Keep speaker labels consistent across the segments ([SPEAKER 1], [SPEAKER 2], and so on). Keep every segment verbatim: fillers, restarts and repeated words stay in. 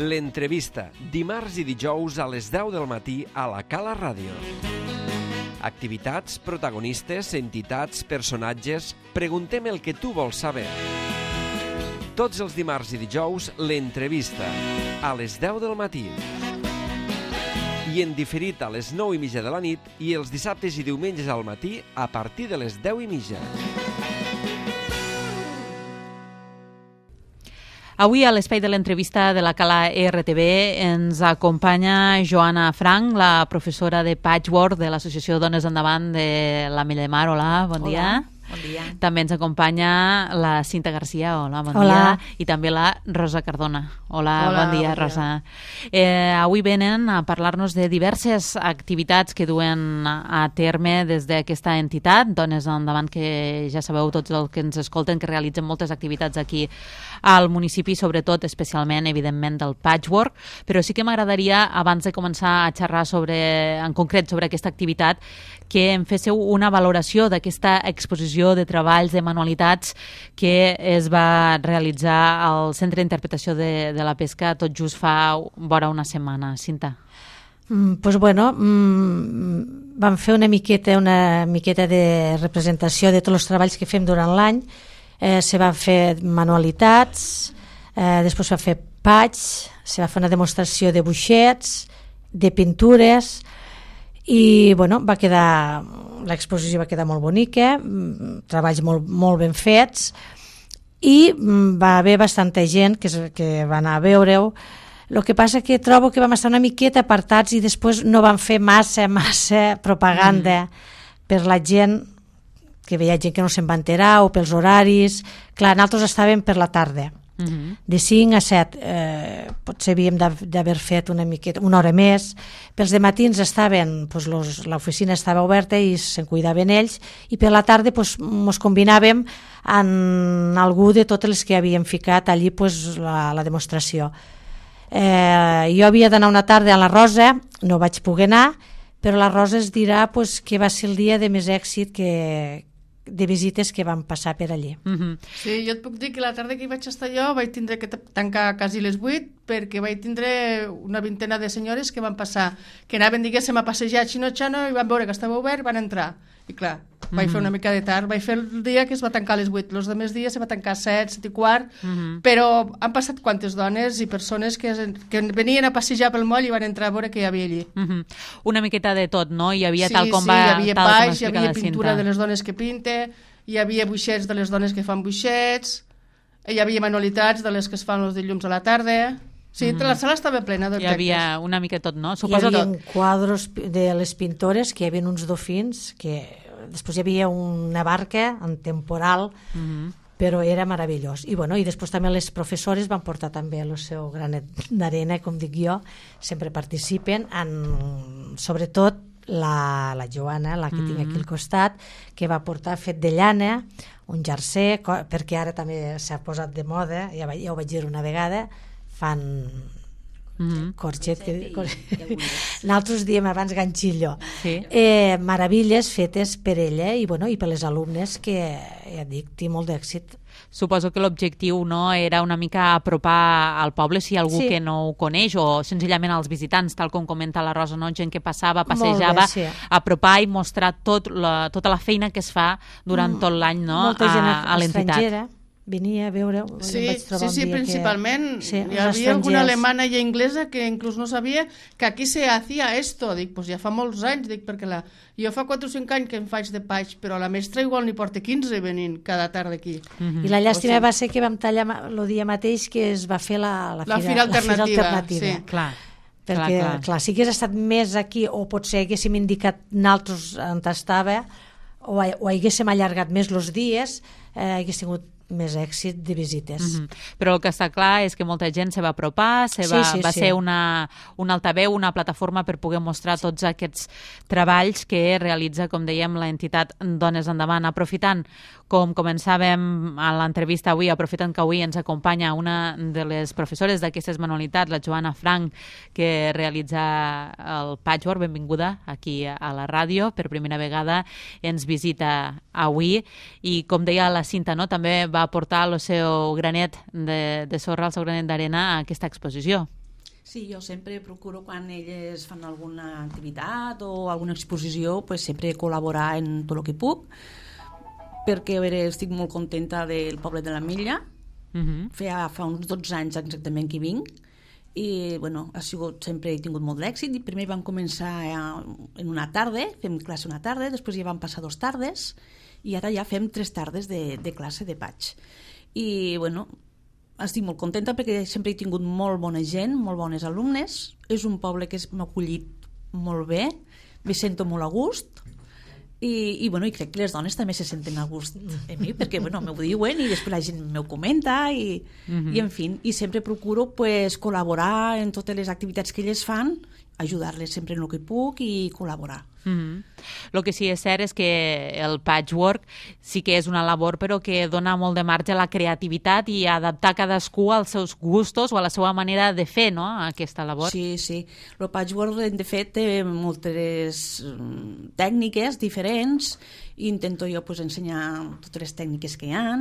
[SPEAKER 1] L'entrevista, dimarts i dijous a les deu del matí a la Cala Ràdio. Activitats, protagonistes, entitats, personatges... Preguntem el que tu vols saber. Tots els dimarts i dijous, l'entrevista, a les deu del matí. I en diferit a les nou i mitja de la nit i els dissabtes i diumenges al matí a partir de les deu i mitja.
[SPEAKER 2] Avui a l'espai de l'entrevista de la Cala R T V ens acompanya Joana Frank, la professora de Patchwork de l'Associació Dones Endavant de l'Ametlla de Mar. Hola, bon
[SPEAKER 3] Hola.
[SPEAKER 2] dia.
[SPEAKER 3] Bon dia.
[SPEAKER 2] També ens acompanya la Cinta Garcia. Hola, bon
[SPEAKER 3] Hola.
[SPEAKER 2] dia. I també la Rosa Cardona. Hola,
[SPEAKER 3] Hola,
[SPEAKER 2] bon dia,
[SPEAKER 3] bon dia.
[SPEAKER 2] Rosa. Eh, avui venen a parlar-nos de diverses activitats que duen a terme des d'aquesta entitat, Dones Endavant, que ja sabeu tots els que ens escolten que realitzen moltes activitats aquí al municipi, sobretot, especialment, evidentment, del patchwork, però sí que m'agradaria, abans de començar a xerrar sobre, en concret sobre aquesta activitat, que em féssiu una valoració d'aquesta exposició de treballs, de manualitats que es va realitzar al Centre d'Interpretació de, de la Pesca tot just fa vora una setmana. Cinta.
[SPEAKER 3] Mm, pues bueno, mm, vam fer una miqueta, una miqueta de representació de tots els treballs que fem durant l'any. Eh, se van fer manualitats, eh, després se va fer patch, se va fer una demostració de buixets, de pintures, i bueno, va quedar, l'exposició va quedar molt bonica, mm, treballs molt, molt ben fets, i mm, va haver bastanta gent que, es- que va anar a veure-ho. El que passa que trobo que vam estar una miqueta apartats i després no van fer massa, massa propaganda mm. per la gent, que veia gent que no se'n va enterar, o pels horaris. Clar, nosaltres estàvem per la tarda,
[SPEAKER 2] Uh -huh.
[SPEAKER 3] de cinc a set, eh, potser havíem d'av- d'haver fet una miqueta, una hora més. Pels de matins estaven, pues, los, l'oficina estava oberta i se'n cuidaven ells, i per la tarda pues, mos combinàvem amb algú de totes les que havíem ficat allí pues, la, la demostració. Eh, jo havia d'anar una tarda a la Rosa, no vaig poder anar, però la Rosa es dirà pues, que va ser el dia de més èxit que, de visites que van passar per allí.
[SPEAKER 2] Uh -huh.
[SPEAKER 4] Sí, jo et puc dir que la tarda que hi vaig estar jo vaig tindre que t- tancar quasi les vuit perquè vaig tindre una vintena de senyores que van passar, que anaven, diguéssim, a passejar xino-xano i van veure que estava obert, van entrar. I clar, vaig
[SPEAKER 2] Mhm.
[SPEAKER 4] fer una mica de tard, vaig fer el dia que es va tancar a les vuit, els altres dies se va tancar a set, set i quart,
[SPEAKER 2] Mhm.
[SPEAKER 4] però han passat quantes dones i persones que, es- que venien a passejar pel moll i van entrar a veure què hi havia allí.
[SPEAKER 2] Uh -huh. Una miqueta de tot, no? Hi havia
[SPEAKER 4] Sí,
[SPEAKER 2] tal com
[SPEAKER 4] sí,
[SPEAKER 2] va...
[SPEAKER 4] hi havia
[SPEAKER 2] tal com
[SPEAKER 4] paix, hi
[SPEAKER 2] explica
[SPEAKER 4] havia
[SPEAKER 2] la
[SPEAKER 4] pintura
[SPEAKER 2] Cinta.
[SPEAKER 4] de les dones que pinte, hi havia buixets de les dones que fan buixets, hi havia manualitats de les que es fan els dilluns a la tarda. Sí,
[SPEAKER 2] Mhm.
[SPEAKER 4] la sala estava plena
[SPEAKER 2] Hi
[SPEAKER 4] d'objectes.
[SPEAKER 2] havia una mica tot, no?
[SPEAKER 3] Hi
[SPEAKER 2] Suposo
[SPEAKER 3] havia
[SPEAKER 2] tot.
[SPEAKER 3] quadros de les pintores, que hi havia uns dofins, que després hi havia una barca en temporal,
[SPEAKER 2] Uh -huh.
[SPEAKER 3] però era meravellós. I, bueno, i després també les professores van portar també el seu granet d'arena, com dic jo, sempre participen, en, sobretot la, la Joana, la que mm. tinc aquí al costat, que va portar fet de llana, un jersei, co- perquè ara també s'ha posat de moda, ja, va- ja ho vaig dir una vegada, fan
[SPEAKER 2] Uh -huh.
[SPEAKER 3] corxet, que, cor... nosaltres diem abans ganxillo.
[SPEAKER 2] Sí.
[SPEAKER 3] Eh, meravilles fetes per ella i, bueno, i per les alumnes, que ja dic, té molt d'èxit.
[SPEAKER 2] Suposo que l'objectiu, no, era una mica apropar al poble si hi ha algú
[SPEAKER 3] Sí.
[SPEAKER 2] que no ho coneix, o senzillament als visitants, tal com comenta la Rosa, no? Gent que passava,
[SPEAKER 3] Molt
[SPEAKER 2] passejava,
[SPEAKER 3] bé, sí.
[SPEAKER 2] apropar i mostrar tot la, tota la feina que es fa durant tot l'any, no?
[SPEAKER 3] Molta gent
[SPEAKER 2] a, a l'entitat.
[SPEAKER 3] estrangera venia a veure.
[SPEAKER 4] Sí, sí, sí, principalment.
[SPEAKER 3] Sí,
[SPEAKER 4] Hi
[SPEAKER 3] els
[SPEAKER 4] havia alguna
[SPEAKER 3] estrangers.
[SPEAKER 4] alemana i inglesa que inclús no sabia que aquí se hacía esto. Dic, pues ja fa molts anys, dic, perquè la... jo fa quatre o cinc anys que em faig de patx, però la mestra igual n'hi porta quinze venint cada tarda aquí.
[SPEAKER 2] Mhm.
[SPEAKER 3] I la llàstima
[SPEAKER 4] O sigui-
[SPEAKER 3] va ser que vam tallar ma- el dia mateix que es va fer la, la,
[SPEAKER 4] La fira alternativa,
[SPEAKER 3] alternativa.
[SPEAKER 4] sí.
[SPEAKER 2] Clar,
[SPEAKER 3] Perquè,
[SPEAKER 2] clar,
[SPEAKER 3] clar,
[SPEAKER 2] clar.
[SPEAKER 3] clar, si hagués estat més aquí, o potser haguéssim indicat nosaltres on estava, o, o haguéssim allargat més els dies, eh, hagués tingut més èxit de visites.
[SPEAKER 2] Mhm. Però el que està clar és que molta gent se va apropar, se va,
[SPEAKER 3] Sí, sí,
[SPEAKER 2] va
[SPEAKER 3] sí.
[SPEAKER 2] ser una, un altaveu, una plataforma per poder mostrar tots aquests treballs que realitza, com dèiem, l'entitat Dones Endavant. Aprofitant, com començàvem a l'entrevista avui, aprofitant que avui ens acompanya una de les professores d'aquestes manualitats, la Joana Frank, que realitza el patchwork. Benvinguda aquí a la ràdio, per primera vegada ens visita avui, i com deia la Cinta, no? També va aportar el seu granet de, de sorra, el seu granet d'arena a aquesta exposició.
[SPEAKER 5] Sí, jo sempre procuro quan elles fan alguna activitat o alguna exposició, pues sempre col·laborar en tot el que puc, perquè a veure, estic molt contenta del poble de la Milla. Uh-huh. Fa, fa uns dotze anys exactament que vinc i bueno, ha sigut, sempre he tingut molt d'èxit. Primer vam començar en una tarda, fem classe una tarda, després ja van passar dos tardes i ara ja fem tres tardes de, de classe de patx. I bueno, estic molt contenta perquè sempre he tingut molt bona gent, molt bones alumnes. És un poble que m'ha acollit molt bé, me sento molt a gust. I, i, bueno, i crec que les dones també se senten a gust en mi, perquè bueno, m'ho diuen i després la gent m'ho comenta i, uh-huh. i en fi, i sempre procuro pues, col·laborar en totes les activitats que elles fan, ajudar-les sempre en el que puc i col·laborar.
[SPEAKER 2] Mm-hmm. El que sí és cert és que el patchwork sí que és una labor però que dona molt de marge a la creativitat i a adaptar cadascú als seus gustos o a la seva manera de fer, no?, aquesta labor.
[SPEAKER 5] Sí, sí. El patchwork de fet té moltes tècniques diferents i intento jo pues, ensenyar totes les tècniques que hi ha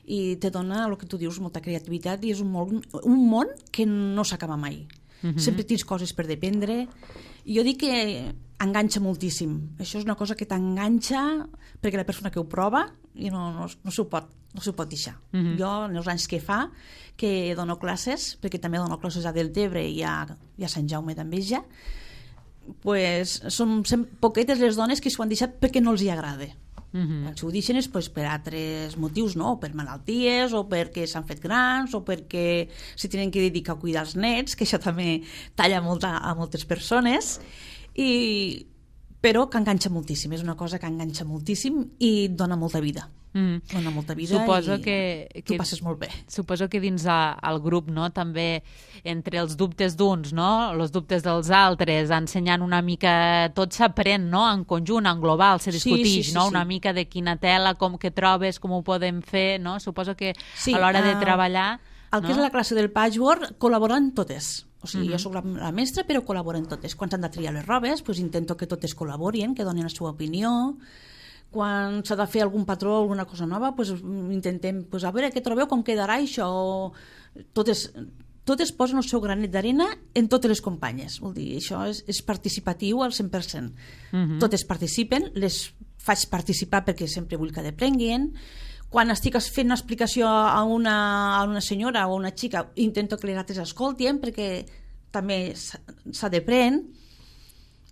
[SPEAKER 5] i te dona el que tu dius, molta creativitat i és un món, un món que no s'acaba mai. Mm-hmm. Sempre tens coses per dependre i jo dic que enganxa moltíssim. Això és una cosa que t'enganxa perquè la persona que ho prova i no, no, no s'ho pot, no s'ho pot deixar. Mm-hmm. Jo, en els anys que fa, que dono classes, perquè també dono classes a Deltebre i a, i a Sant Jaume d'Enveja, pues, són poquetes les dones que s'ho han deixat perquè no els hi agrada. Mm-hmm. Si ho deixen és pues, per altres motius, no? O per malalties, o perquè s'han fet grans, o perquè s'hi tenen que dedicar a cuidar els nets, que això també talla molt a, a moltes persones, i... però que enganxa moltíssim, és una cosa que enganxa moltíssim i dona molta vida. Mm. Dona molta vida
[SPEAKER 2] suposo
[SPEAKER 5] i
[SPEAKER 2] que,
[SPEAKER 5] tu
[SPEAKER 2] que,
[SPEAKER 5] passes molt bé.
[SPEAKER 2] Suposo que dins el grup, no, també entre els dubtes d'uns, no, els dubtes dels altres, ensenyant una mica, tot s'aprèn, no, en conjunt, en global, se discutix, sí, sí, sí, no, una sí. mica de quina tela, com que trobes, com ho podem fer, no? Suposo que sí, a l'hora de treballar...
[SPEAKER 5] El
[SPEAKER 2] no?
[SPEAKER 5] que és la classe del patchwork col·laboren totes. O sigui,
[SPEAKER 2] uh-huh.
[SPEAKER 5] jo soc la, la mestra, però col·laboren totes. Quan s'han de triar les robes, pues intento que totes col·laborin, que donin la seva opinió. Quan s'ha de fer algun patró, alguna cosa nova, pues intentem, pues, a veure què trobeu, com quedarà això. Totes, totes posen el seu granet d'arena en totes les companyes. Vol dir, això és, és participatiu al cent per cent. Uh-huh. Totes participen, les faig participar perquè sempre vull que aprenguin. Quan estic fent una explicació a una, a una senyora o a una xica, intento que les altres escoltin perquè també s'ha d'aprendre.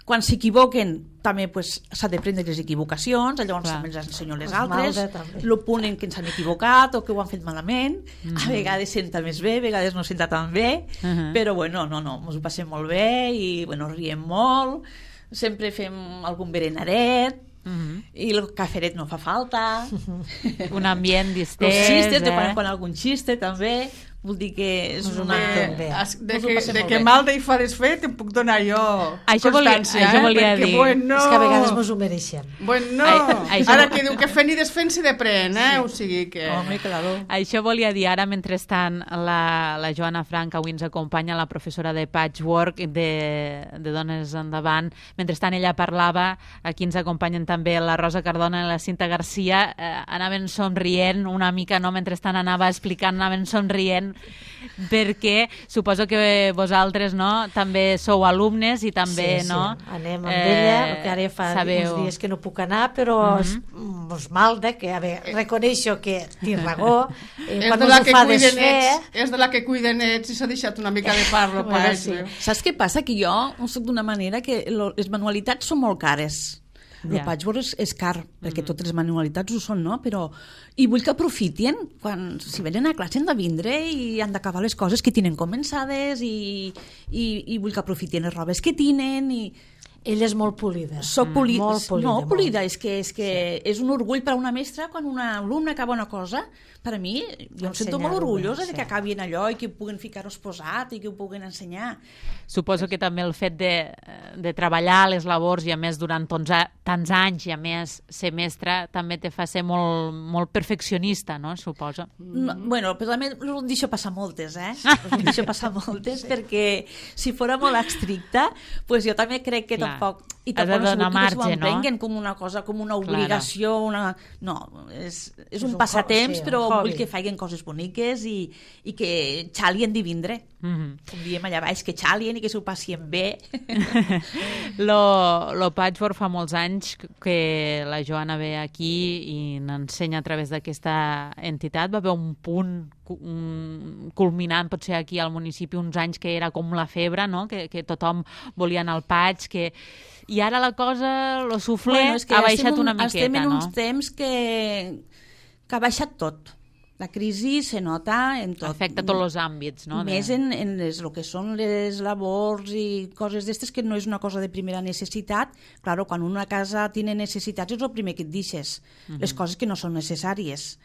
[SPEAKER 5] Quan s'equivoquen també pues, s'ha d'aprendre les equivocacions, llavors Clar. també els ensenyo les altres, el punt en què ens han equivocat o que ho han fet malament. Mm-hmm. A vegades senta més bé, a vegades no senta tan bé, uh-huh. però bueno, no, no, ens ho passem molt bé i bueno, riem molt, sempre fem algun berenaret, uh-huh. i el caferet no fa falta.
[SPEAKER 2] Uh-huh. Un ambient distès.
[SPEAKER 5] Els xistes,
[SPEAKER 2] eh?
[SPEAKER 5] de quan en quan algun xiste també. Vol dir que és una...
[SPEAKER 4] De, de, que, de que mal de hi fa desfer te'n puc donar jo
[SPEAKER 2] això
[SPEAKER 4] constància,
[SPEAKER 2] volia, això
[SPEAKER 4] eh?
[SPEAKER 2] volia
[SPEAKER 4] Perquè,
[SPEAKER 2] dir.
[SPEAKER 4] bueno...
[SPEAKER 3] És que a vegades mos ho mereixem.
[SPEAKER 4] Bueno,
[SPEAKER 2] Ai,
[SPEAKER 4] ara
[SPEAKER 2] això...
[SPEAKER 4] que diu que fent i desfent s'hi depren, eh? Sí. O sigui que...
[SPEAKER 5] Home, claro.
[SPEAKER 2] Això volia dir, ara mentrestant la, la Joana Frank avui ens acompanya, la professora de patchwork de, de Dones Endavant. Mentrestant ella parlava, aquí ens acompanyen també la Rosa Cardona i la Cinta Garcia, eh, anaven somrient una mica, no? Mentrestant anava explicant, anaven somrient, perquè suposo que vosaltres, no, també sou alumnes i també,
[SPEAKER 3] sí,
[SPEAKER 2] no?
[SPEAKER 3] Sí. Anem amb eh, ella, que ara fa
[SPEAKER 2] sabeu...
[SPEAKER 3] uns dies que no puc anar, però mm-hmm. mos malda, que a veure, reconeixo que tinc raó, eh, quan mos ho fa desfer...
[SPEAKER 4] És de la que cuida nets i s'ha deixat una mica de parlo.
[SPEAKER 3] Bueno, sí.
[SPEAKER 5] Saps què passa? Que jo soc d'una manera que lo, les manualitats són molt cares. El yeah. patchwork és, és car, perquè mm. totes les manualitats ho són, no? Però... I vull que aprofitin, quan si venen a classe han de vindre i han d'acabar les coses que tenen començades i, i, i vull que aprofitin les robes que tenen i...
[SPEAKER 3] Ella és molt polida.
[SPEAKER 5] Soc poli...
[SPEAKER 3] mm. molt polida.
[SPEAKER 5] No,
[SPEAKER 3] molt.
[SPEAKER 5] polida, és que, és, que sí. és un orgull per a una mestra quan una alumna acaba una cosa. Per a mi, jo em sento molt orgullosa sí. de que acabin allò i que puguin ficar-ho exposat i que ho puguin ensenyar.
[SPEAKER 2] Suposo que també el fet de, de treballar les labors i a més durant tants, tants anys i a més ser mestra també te fa ser molt, molt perfeccionista, no? Suposo.
[SPEAKER 5] No, bueno, però també ho deixo passar moltes, eh? Ho deixo passar moltes sí. perquè si fora molt estricta, pues jo també crec que Clar. tampoc I
[SPEAKER 2] has de
[SPEAKER 5] tampoc no
[SPEAKER 2] donar
[SPEAKER 5] que
[SPEAKER 2] marge,
[SPEAKER 5] s'ho
[SPEAKER 2] no?
[SPEAKER 5] emprenguen com una cosa, com una obligació, una... no, és, és, és un
[SPEAKER 3] un
[SPEAKER 5] passatemps,
[SPEAKER 3] sí,
[SPEAKER 5] però
[SPEAKER 3] un hobby.
[SPEAKER 5] vull que facin coses boniques i, i que xalien de vindre.
[SPEAKER 2] Mhm.
[SPEAKER 5] Com diem allà baix, que xalien i que s'ho passien bé.
[SPEAKER 2] Lo, lo Patchwork fa molts anys que la Joana ve aquí i n'ensenya a través d'aquesta entitat. Va haver un punt un, culminant, potser aquí al municipi, uns anys que era com la febre, no? que, que tothom volia anar al patch, que... i ara la cosa, lo suflé,
[SPEAKER 5] Bueno, és que
[SPEAKER 2] ha baixat
[SPEAKER 5] estem,
[SPEAKER 2] una miqueta,
[SPEAKER 5] estem en
[SPEAKER 2] no?
[SPEAKER 5] uns temps que, que ha baixat tot. La crisi se nota en tot.
[SPEAKER 2] Afecta tots els àmbits, no?
[SPEAKER 5] Més
[SPEAKER 2] de...
[SPEAKER 5] en, en les, el que són les labors i coses d'estes, que no és una cosa de primera necessitat. Claro, quan una casa tiene necessitats és el primer que et deixes, uh -huh. les coses que no són necessàries.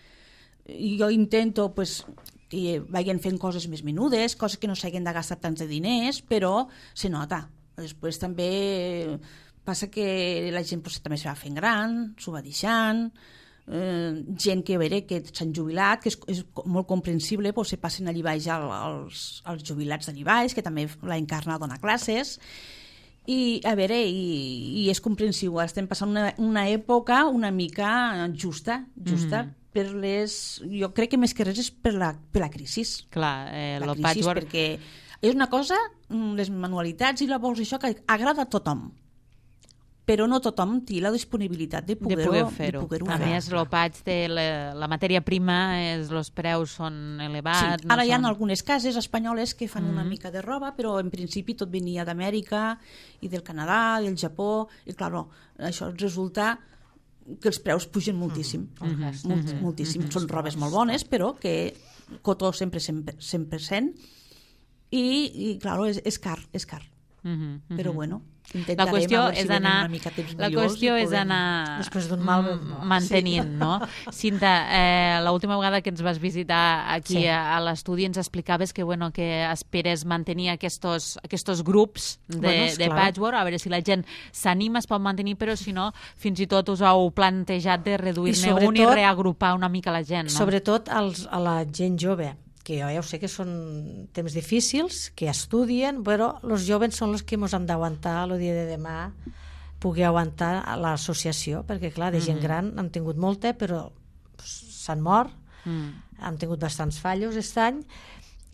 [SPEAKER 5] I jo intento pues, que vagin fent coses més menudes, coses que no s'hagin de gastar tants de diners, però se nota. Després també passa que la gent pues, també se va fent gran, s'ho va deixant, eh, gent que, a veure, que s'han jubilat, que és, és molt comprensible, pues, se passen allí baix als, als jubilats d'allí baix, que també la Encarna dona classes, i a veure, i, i és comprensiu, estem passant una, una època una mica justa, justa, mm. per les... Jo crec que més que res és per la, per la crisi.
[SPEAKER 2] Clar, eh,
[SPEAKER 5] la
[SPEAKER 2] lo
[SPEAKER 5] crisi,
[SPEAKER 2] Patchwork...
[SPEAKER 5] perquè és una cosa, les manualitats i labors, això que agrada a tothom, però no tothom té la disponibilitat de poder-ho
[SPEAKER 2] de poder fer-ho.
[SPEAKER 5] Poder
[SPEAKER 2] a
[SPEAKER 5] fer.
[SPEAKER 2] més, el patch té la, la matèria prima, és, els preus són elevats.
[SPEAKER 5] Sí. Ara
[SPEAKER 2] no
[SPEAKER 5] hi ha
[SPEAKER 2] són...
[SPEAKER 5] algunes cases espanyoles que fan mm -hmm. una
[SPEAKER 2] Mhm.
[SPEAKER 5] mica de roba, però en principi tot venia d'Amèrica i del Canadà, del Japó, i clar, això resulta que els preus pugen moltíssim,
[SPEAKER 3] Mm -hmm.
[SPEAKER 5] Molt,
[SPEAKER 2] Mhm.
[SPEAKER 5] moltíssim.
[SPEAKER 2] Mhm.
[SPEAKER 5] Són robes molt bones, però que cotó sempre cent per cent, i, i clar, és, és car, és car.
[SPEAKER 2] Uh -huh, uh -huh.
[SPEAKER 5] Però bueno,
[SPEAKER 2] la
[SPEAKER 5] intentarem
[SPEAKER 2] qüestió
[SPEAKER 5] a veure si
[SPEAKER 2] és
[SPEAKER 5] venen
[SPEAKER 2] anar,
[SPEAKER 5] una mica temps
[SPEAKER 2] la
[SPEAKER 5] millors
[SPEAKER 2] qüestió
[SPEAKER 5] i
[SPEAKER 2] és
[SPEAKER 5] podem-
[SPEAKER 2] anar
[SPEAKER 3] Després d'un mal,
[SPEAKER 2] mm,
[SPEAKER 3] no.
[SPEAKER 2] mantenint, sí. no? Cinta, eh, l'última vegada que ens vas visitar aquí
[SPEAKER 3] Sí.
[SPEAKER 2] a, a l'estudi ens explicaves que, bueno, que esperes mantenir aquests, aquests grups de,
[SPEAKER 3] Bueno, és
[SPEAKER 2] de
[SPEAKER 3] clar.
[SPEAKER 2] patchwork, a veure si la gent s'anima, es pot mantenir, però si no, fins i tot us heu plantejat de reduir-ne
[SPEAKER 3] I
[SPEAKER 2] un i
[SPEAKER 3] sobretot-
[SPEAKER 2] reagrupar una mica la gent, no?
[SPEAKER 3] Sobretot als, a la gent jove, que jo ja ho sé que són temps difícils, que estudien, però els joves són els que ens han d'aguantar el dia de demà, pugui aguantar a l'associació, perquè clar, de gent
[SPEAKER 2] Mhm.
[SPEAKER 3] gran han tingut molta, però s'han mort,
[SPEAKER 2] Mm.
[SPEAKER 3] han tingut bastants fallos aquest any,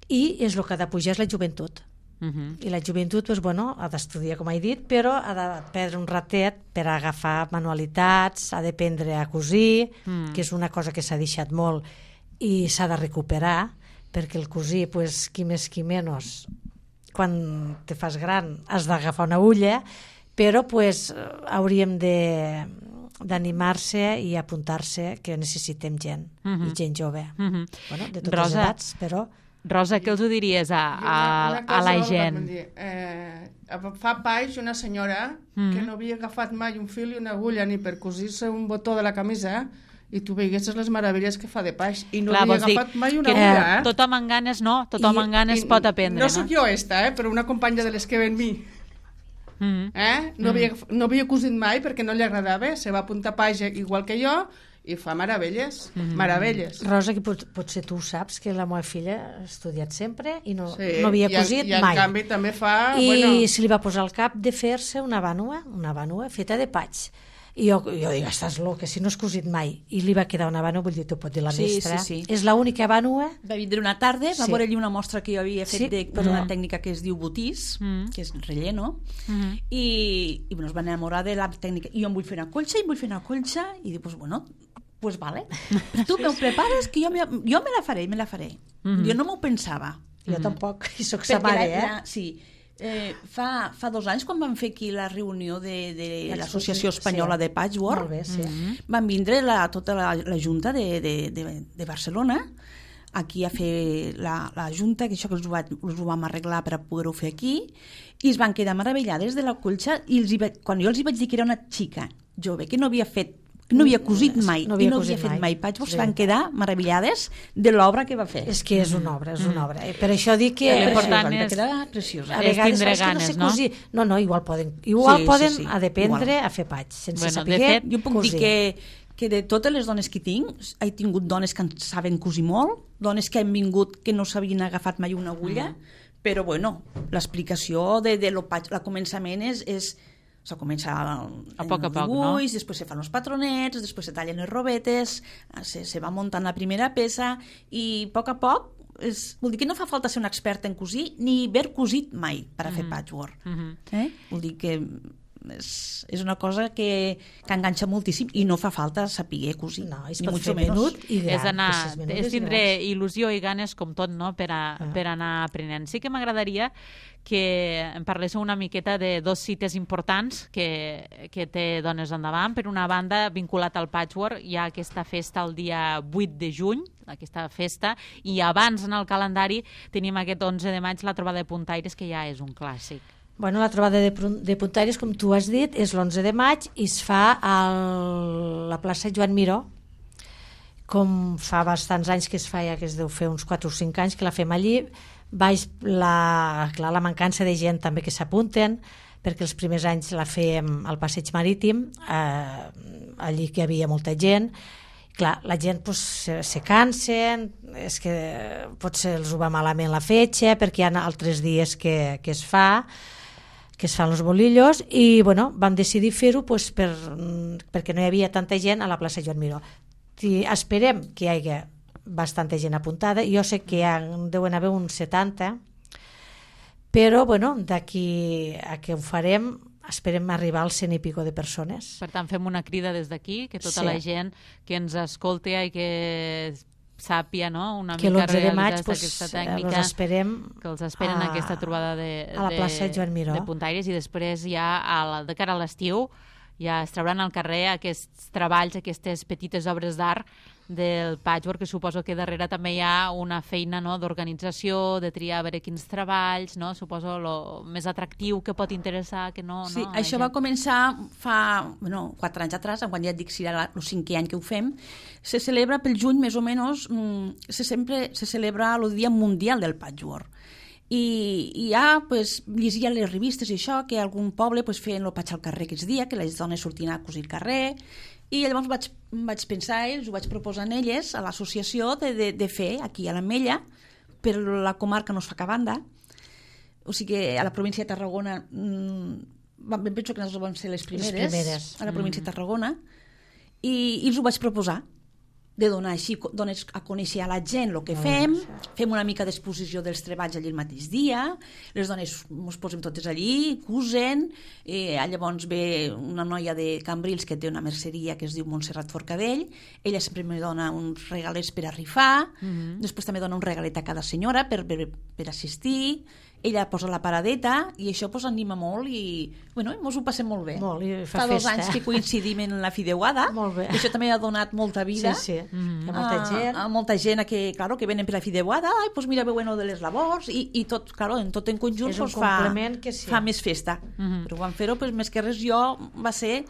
[SPEAKER 3] i és el que ha de pujar és la joventut.
[SPEAKER 2] Uh -huh.
[SPEAKER 3] I la joventut, doncs, bueno, ha d'estudiar, com he dit, però ha de perdre un ratet per agafar manualitats, ha d'aprendre a cosir,
[SPEAKER 2] Mm.
[SPEAKER 3] que és una cosa que s'ha deixat molt i s'ha de recuperar, perquè el cosir, pues, qui més qui menys, quan te fas gran has d'agafar una agulla, però pues, hauríem de d'animar-se i apuntar-se, que necessitem gent,
[SPEAKER 2] Uh -huh.
[SPEAKER 3] i gent jove.
[SPEAKER 2] Uh -huh.
[SPEAKER 3] Bueno, de totes
[SPEAKER 2] Rosa,
[SPEAKER 3] les edats, però...
[SPEAKER 2] Rosa, què els ho diries a, a,
[SPEAKER 4] Una- una
[SPEAKER 2] a la
[SPEAKER 4] cosa,
[SPEAKER 2] gent?
[SPEAKER 4] vam dir, eh, fa baix una senyora
[SPEAKER 2] Mhm.
[SPEAKER 4] que no havia agafat mai un fil i una agulla ni per cosir-se un botó de la camisa, i tu veiguessis les meravelles que fa de baix, i no
[SPEAKER 2] Clar,
[SPEAKER 4] havia
[SPEAKER 2] vols dir
[SPEAKER 4] agafat mai una
[SPEAKER 2] que
[SPEAKER 4] agulla, eh?
[SPEAKER 2] tothom amb ganes no, tothom
[SPEAKER 4] I-
[SPEAKER 2] amb ganes
[SPEAKER 4] i
[SPEAKER 2] pot aprendre,
[SPEAKER 4] no
[SPEAKER 2] no?
[SPEAKER 4] sóc jo esta, eh? Però una companya de les que ven mi,
[SPEAKER 2] Mm.
[SPEAKER 4] eh? no, havia, no havia cosit mai perquè no li agradava, se va apuntar a paix igual que jo, i fa meravelles,
[SPEAKER 2] Mm.
[SPEAKER 4] meravelles.
[SPEAKER 3] Rosa, que pot, potser tu saps que la meva filla ha estudiat sempre i no,
[SPEAKER 4] Sí,
[SPEAKER 3] no havia
[SPEAKER 4] i, en-
[SPEAKER 3] cosit
[SPEAKER 4] i en
[SPEAKER 3] mai.
[SPEAKER 4] canvi també fa...
[SPEAKER 3] I
[SPEAKER 4] bueno,
[SPEAKER 3] se li va posar al cap de fer-se una vànua, una vànua feta de patx. I jo, jo dic, estàs loca, si no has cosit mai. I li va quedar una vànua, vull dir, t'ho pot dir la
[SPEAKER 5] Sí,
[SPEAKER 3] mestra.
[SPEAKER 5] sí, sí.
[SPEAKER 3] És l'única vànua...
[SPEAKER 5] Va vindre una tarda, va
[SPEAKER 3] Sí.
[SPEAKER 5] veure allí una mostra que jo havia fet
[SPEAKER 3] Sí,
[SPEAKER 5] de, per
[SPEAKER 3] però-
[SPEAKER 5] una tècnica que es diu botís,
[SPEAKER 2] Mm.
[SPEAKER 5] que és relleno,
[SPEAKER 2] Mm.
[SPEAKER 5] i, i bueno, es va enamorar de la tècnica. I jo em vull fer una colxa, i em vull fer una colxa, i dic, pues bueno, pues vale. Tu me ho prepares, que jo me, jo me la faré, me la faré.
[SPEAKER 2] Mhm.
[SPEAKER 5] Jo no m'ho pensava.
[SPEAKER 3] Jo tampoc, i soc sa
[SPEAKER 5] Perquè
[SPEAKER 3] mare,
[SPEAKER 5] la,
[SPEAKER 3] eh?
[SPEAKER 5] la, sí, eh, fa, fa dos anys, quan vam fer aquí la reunió de, de l'Associació Espanyola
[SPEAKER 3] Sí.
[SPEAKER 5] de Patchwork,
[SPEAKER 3] Molt bé, sí.
[SPEAKER 2] Mm.
[SPEAKER 5] van vindre la, tota la, la Junta de, de, de, de Barcelona aquí a fer la, la Junta, que això que els ho, va, els ho vam arreglar per a poder-ho fer aquí, i es van quedar meravellades de la colxa, i els hi va, quan jo els hi vaig dir que era una xica jove, que no havia fet no havia cosit mai,
[SPEAKER 3] No havia
[SPEAKER 5] i no
[SPEAKER 3] cosit
[SPEAKER 5] havia fet
[SPEAKER 3] mai.
[SPEAKER 5] mai patchwork,
[SPEAKER 3] Sí.
[SPEAKER 5] es van quedar meravellades de l'obra que va fer.
[SPEAKER 3] És que és una obra, és una obra. Eh, Per això dic que...
[SPEAKER 2] Mm. L'important
[SPEAKER 5] Preciosa,
[SPEAKER 2] és-
[SPEAKER 5] va quedar preciosa.
[SPEAKER 3] A
[SPEAKER 2] és
[SPEAKER 3] vegades
[SPEAKER 2] tindre
[SPEAKER 3] és que no sé
[SPEAKER 2] ganes, no?
[SPEAKER 3] cosir. No, no, igual poden, igual
[SPEAKER 5] Sí, sí,
[SPEAKER 3] poden
[SPEAKER 5] sí,
[SPEAKER 3] a d'aprendre
[SPEAKER 5] igual.
[SPEAKER 3] a fer patx, sense
[SPEAKER 2] Bueno, de
[SPEAKER 3] saber
[SPEAKER 2] fet,
[SPEAKER 5] Jo puc
[SPEAKER 3] cosir.
[SPEAKER 5] dir que, que de totes les dones que tinc, he tingut dones que en saben cosir molt, dones que han vingut que no s'havien agafat mai una agulla, mm. però bueno, l'explicació de, de lo, patch- el començament és, és Se comença
[SPEAKER 2] a poc a poc,
[SPEAKER 5] dibuix,
[SPEAKER 2] no?
[SPEAKER 5] Després se fan els patronets, després se tallen les robetes, se, se va muntant la primera peça i a poc a poc, és, vol dir que no fa falta ser un expert en cosir ni haver cosit mai per a fer
[SPEAKER 2] Mm-hmm.
[SPEAKER 5] patchwork.
[SPEAKER 2] Mhm.
[SPEAKER 5] Eh? Vol dir que és, és una cosa que, que enganxa moltíssim i no fa falta saber cosir.
[SPEAKER 3] No, es
[SPEAKER 5] ni
[SPEAKER 3] pot
[SPEAKER 5] mucho
[SPEAKER 3] fer
[SPEAKER 5] menos.
[SPEAKER 3] menut i gran.
[SPEAKER 2] És, anar,
[SPEAKER 3] que si és menut
[SPEAKER 2] és
[SPEAKER 3] és
[SPEAKER 2] tindre
[SPEAKER 3] gran.
[SPEAKER 2] il·lusió i ganes com tot, no?, per, a,
[SPEAKER 3] Ah.
[SPEAKER 2] per anar aprenent. Sí que m'agradaria que em parléssiu una miqueta de dos cites importants que, que té Dones Endavant. Per una banda, vinculat al patchwork, hi ha aquesta festa el dia vuit de juny, aquesta festa, i abans en el calendari tenim aquest onze de maig la trobada de puntaires, que ja és un clàssic.
[SPEAKER 3] Bueno, la trobada de, de puntaires, com tu has dit, és l'onze de maig i es fa a la plaça Joan Miró, com fa bastants anys que es feia, que es deu fer uns quatre o cinc anys que la fem allí. Baix la, clar, la mancança de gent també que s'apunten, perquè els primers anys la fèiem al passeig marítim, eh, allí que hi havia molta gent. Clar, la gent pues, se, se cansen, és que potser els ho va malament la fetge, perquè hi ha altres dies que, que es fa, que es fan els bolillos, i bueno, vam decidir fer-ho pues, per, perquè no hi havia tanta gent a la plaça Joan Miró. I esperem que hi hagi bastanta gent apuntada. Jo sé que hi ha, deuen haver uns setanta, però bueno, d'aquí a que ho farem esperem arribar als cent i pico de persones.
[SPEAKER 2] Per tant, fem una crida des d'aquí, que tota
[SPEAKER 3] Sí.
[SPEAKER 2] la gent que ens escolti i que sàpia, no?, una
[SPEAKER 3] Que
[SPEAKER 2] mica
[SPEAKER 3] l'onze de maig
[SPEAKER 2] realitzar
[SPEAKER 3] pues,
[SPEAKER 2] aquesta
[SPEAKER 3] els
[SPEAKER 2] tècnica,
[SPEAKER 3] esperem
[SPEAKER 2] que els esperen
[SPEAKER 3] a,
[SPEAKER 2] a aquesta trobada de,
[SPEAKER 3] a la plaça
[SPEAKER 2] de,
[SPEAKER 3] Joan Miró.
[SPEAKER 2] de puntaires, i després ja a la, de cara a l'estiu ja es trauran al carrer aquests treballs, aquestes petites obres d'art del patchwork, que suposo que darrere també hi ha una feina, no?, d'organització, de triar a veure quins treballs, no?, suposo lo més atractiu que pot interessar, que no...
[SPEAKER 5] Sí,
[SPEAKER 2] no,
[SPEAKER 5] això va començar fa bueno, quatre anys atrás, quan ja et dic si era el cinquè any que ho fem. Se celebra pel juny, més o menys, se, sempre, se celebra el Dia Mundial del Patchwork. I, i ja pues, llegia les revistes i això, que algun poble pues, feien el patx al carrer aquests dies, que les dones sortien a cosir al carrer, i llavors vaig, vaig pensar, ells ho vaig proposar a elles, a l'associació, de, de, de fer aquí a l'Ametlla, per la comarca no es fa cap banda, o sigui que a la província de Tarragona, mmm, penso que nosaltres vam ser les primeres,
[SPEAKER 3] les primeres.
[SPEAKER 5] a la província de Tarragona, i, i els ho vaig proposar, de donar així, dones a conèixer a la gent el que fem, fem una mica d'exposició dels treballs allí el mateix dia, les dones ens posem totes allí, cosen, eh, llavors ve una noia de Cambrils que té una merceria que es diu Montserrat Forcadell, ella sempre me dona uns regalets per a rifar, mm-hmm. després també dona un regalet a cada senyora per, per, per assistir, ella posa la paradeta i això pues, anima molt i bueno, ens ho passem molt bé.
[SPEAKER 3] Molt, i fa
[SPEAKER 5] fa dos
[SPEAKER 3] festa.
[SPEAKER 5] anys que coincidim en la fideuada,
[SPEAKER 3] Molt bé.
[SPEAKER 5] això també ha donat molta vida.
[SPEAKER 3] Sí, sí.
[SPEAKER 2] Mm-hmm.
[SPEAKER 3] Hi ha molta gent.
[SPEAKER 5] A, a molta gent que, claro, que venen per la fideuada, ai, pues mira, veuen de les labors i, i tot, claro, en tot en conjunt
[SPEAKER 3] És un
[SPEAKER 5] pues, fa,
[SPEAKER 3] complement que sí.
[SPEAKER 5] fa més festa.
[SPEAKER 2] Mhm.
[SPEAKER 5] Però quan fer-ho, pues, més que res jo va ser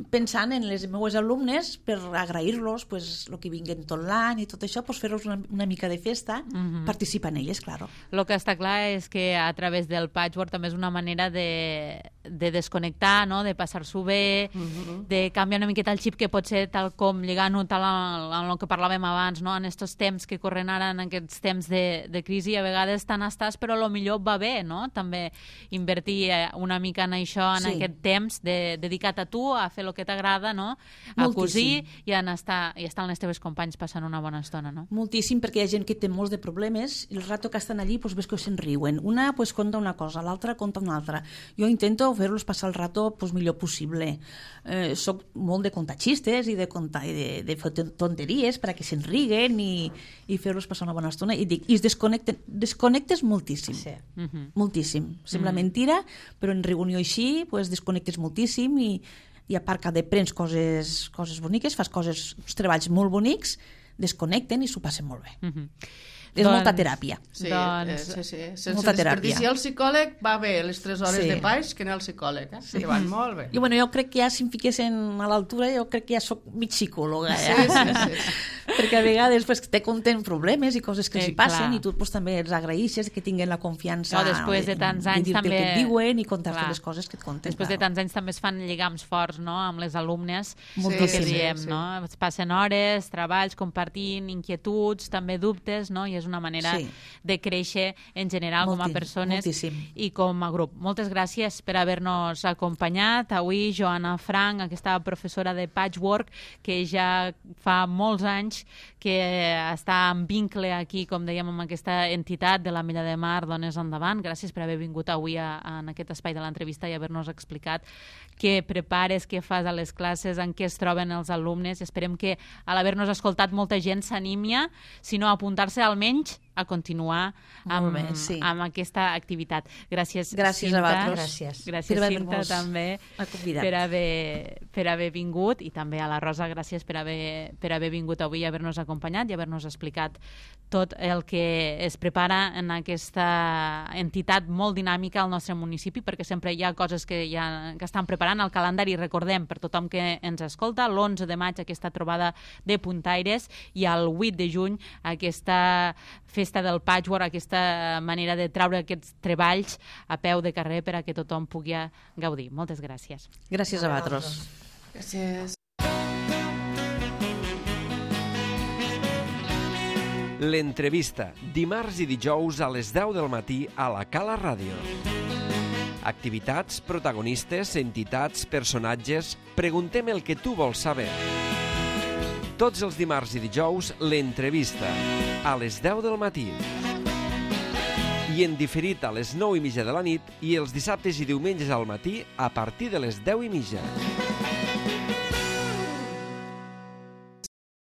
[SPEAKER 5] pensant en les meves alumnes per agrair-los pues, el que vinguen tot l'any i tot això, pues, fer-los una, una mica de festa,
[SPEAKER 2] Mhm.
[SPEAKER 5] participar en elles, claro.
[SPEAKER 2] El que està clar és que a través del patchwork també és una manera de, de desconnectar, no?, de passar-s'ho bé,
[SPEAKER 5] Mhm.
[SPEAKER 2] de canviar una miqueta el xip, que pot ser tal com lligant-ho tal en el que parlàvem abans, no?, en aquests temps que corren ara, en aquests temps de, de crisi, a vegades tan estàs, però a lo millor va bé, no?, també invertir una mica en això, en
[SPEAKER 5] Sí.
[SPEAKER 2] aquest temps de, dedicat a tu, a fer el que t'agrada, no?, a
[SPEAKER 5] Moltíssim.
[SPEAKER 2] cosir i a estar, i estar amb les teves companys passant una bona estona, no?
[SPEAKER 5] Moltíssim, perquè hi ha gent que té molts de problemes i el rato que estan allí pues, ves que se'n riuen. Una pues, conta una cosa, l'altra conta una altra. Jo intento fer-los passar el rato pues, millor possible. Eh, soc molt de contar xistes i de, contar, i de, de fer tonteries per a que se'n riguen i, i fer-los passar una bona estona. I, dic, i es desconnecten, desconnectes moltíssim.
[SPEAKER 3] Sí.
[SPEAKER 2] Mhm.
[SPEAKER 5] Moltíssim. Sembla mentira, però en reunió així pues, desconnectes moltíssim i, i a part que aprens coses, coses boniques, fas coses, uns treballs molt bonics, desconnecten i s'ho passen molt bé.
[SPEAKER 2] Mhm.
[SPEAKER 5] És
[SPEAKER 2] Doncs-
[SPEAKER 5] molta teràpia.
[SPEAKER 4] Sí,
[SPEAKER 2] Doncs-
[SPEAKER 4] eh, sí, sí. Sense
[SPEAKER 5] Molta teràpia.
[SPEAKER 4] desperdiciar el psicòleg va bé les tres hores
[SPEAKER 5] Sí.
[SPEAKER 4] de baix que anar al psicòleg. Eh? Sí. Que van molt bé.
[SPEAKER 5] I bueno, jo crec que ja si em fiquessin a l'altura, jo crec que ja sóc mig psicòloga.
[SPEAKER 4] Sí,
[SPEAKER 5] Ja.
[SPEAKER 4] sí, sí.
[SPEAKER 5] perquè a vegades pues, te conten problemes i coses que
[SPEAKER 2] Eh,
[SPEAKER 5] els hi passen
[SPEAKER 2] clar.
[SPEAKER 5] i tu pues, també els agraeixes que tinguin la confiança
[SPEAKER 2] No, després de tants anys
[SPEAKER 5] dir-te
[SPEAKER 2] també-
[SPEAKER 5] el que et diuen i contar-te
[SPEAKER 2] Clar.
[SPEAKER 5] les coses que et conten.
[SPEAKER 2] Després de tants anys també es fan lligams forts, no?, amb les alumnes,
[SPEAKER 5] Moltíssim.
[SPEAKER 2] el que diem,
[SPEAKER 4] Sí, sí.
[SPEAKER 2] no? Es passen hores, treballs, compartint inquietuds, també dubtes, no? I és una manera
[SPEAKER 5] Sí.
[SPEAKER 2] de créixer en general com a
[SPEAKER 5] Molti-
[SPEAKER 2] persones
[SPEAKER 5] moltíssim.
[SPEAKER 2] i com a grup. Moltes gràcies per haver-nos acompanyat. Avui, Joana Frank, aquesta professora de patchwork, que ja fa molts anys que està en vincle aquí, com dèiem, amb aquesta entitat de la Milla de Mar, Dones Endavant. Gràcies per haver vingut avui a, a, en aquest espai de l'entrevista i haver-nos explicat què prepares, què fas a les classes, en què es troben els alumnes. Esperem que, a l'haver-nos escoltat, molta gent s'animi, si no a apuntar-se almenys a continuar amb,
[SPEAKER 5] Molt bé, sí.
[SPEAKER 2] amb aquesta activitat. Gràcies,
[SPEAKER 5] Gràcies a
[SPEAKER 2] Cinta.
[SPEAKER 5] vosaltres.
[SPEAKER 3] Gràcies.
[SPEAKER 2] Gràcies,
[SPEAKER 5] Per
[SPEAKER 2] Cinta,
[SPEAKER 5] haver-nos
[SPEAKER 2] també,
[SPEAKER 5] convidat.
[SPEAKER 2] per haver, per haver vingut, i també a la Rosa, gràcies per haver, per haver vingut avui i haver-nos acompanyat i haver-nos explicat tot el que es prepara en aquesta entitat molt dinàmica al nostre municipi, perquè sempre hi ha coses que, ja, que estan preparant al calendari. Recordem, per tothom que ens escolta, l'onze de maig aquesta trobada de puntaires i el vuit de juny aquesta festa del patchwork, aquesta manera de traure aquests treballs a peu de carrer per a que tothom pugui gaudir. Moltes gràcies.
[SPEAKER 5] Gràcies a vosaltres.
[SPEAKER 4] Gràcies.
[SPEAKER 1] L'entrevista, dimarts i dijous a les deu del matí a la Cala Ràdio. Activitats, protagonistes, entitats, personatges... Preguntem el que tu vols saber. Tots els dimarts i dijous, l'entrevista, a les deu del matí. I en diferit a les nou i mitja de la nit i els dissabtes i diumenges al matí a partir de les deu i mitja.